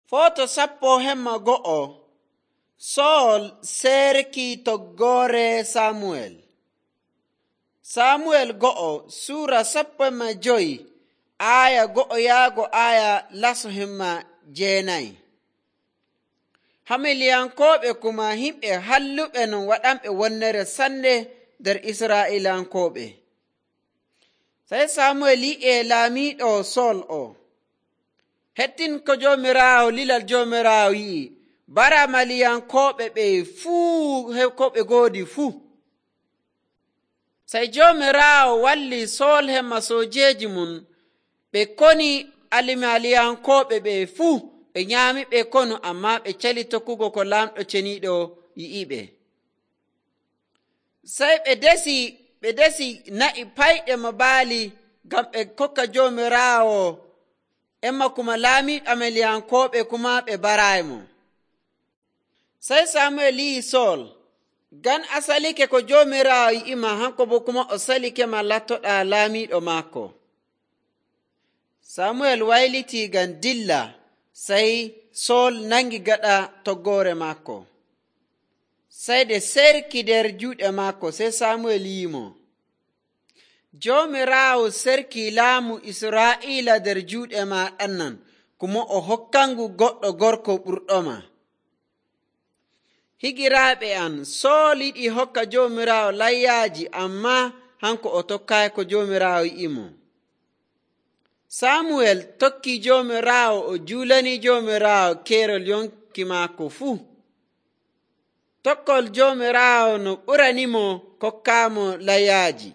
Foto 11 Sool serki toggoore Samuel. Samuel go'o Sura 15 aya go'o yaago aya laso himma jeenayi. Hamiliyankooɓe kuma himɓe halluɓe non waɗanɓe wonnere sanne nder Israa'ilankooɓe. Sai Samuel yi'e laamiiɗo Sool o. Hettin ko Joomiraawo lilal Joomiraawo yi'i, bara Maliyankooɓe ɓe fuu ko ɓe goodi fuu. Sai Joomiraawo walli Sool hemma soojeji mum ɓe koni Maliyankooɓe ɓe fuu, ɓe nyaami ɓe konu, amma ɓe cali tokkugo ko laamɗo ceniiɗo yi'iɓe. Sai ɓe desi na'i payɗe mo baali ngam ɓe kokka Joomiraawo, emma kuma laamiiɗo Maliyankooɓe kuma ɓe baraymo. Sai Samuel yi'i Sool, ngam a salike ko Joomiraawo yi'ima, hanko bo kuma o salike ma lattoɗa laamiiɗo maako. Samuel wayliti ngam dilla, sai Sool nangi gaɗa toggoore maako. Sai ɗe serki nder juuɗe maako. Sai Samuel yi'imo, Joomiraawo serki laamu Israa'iila nder juuɗe ma ɗannan, kuma o hokkangu goɗɗo gorko ɓurɗoma. Higiraaɓe am, Sool yiɗi hokka Joomiraawo layyaaji, amma hanko o tokkaayi ko Joomiraawo yi'imo. Samuel tokki Joomiraawo, o juulani Joomiraawo keerol yonki maako fuu. Tokkol Joomiraawo no ɓuranimo kokkaamo layyaaji.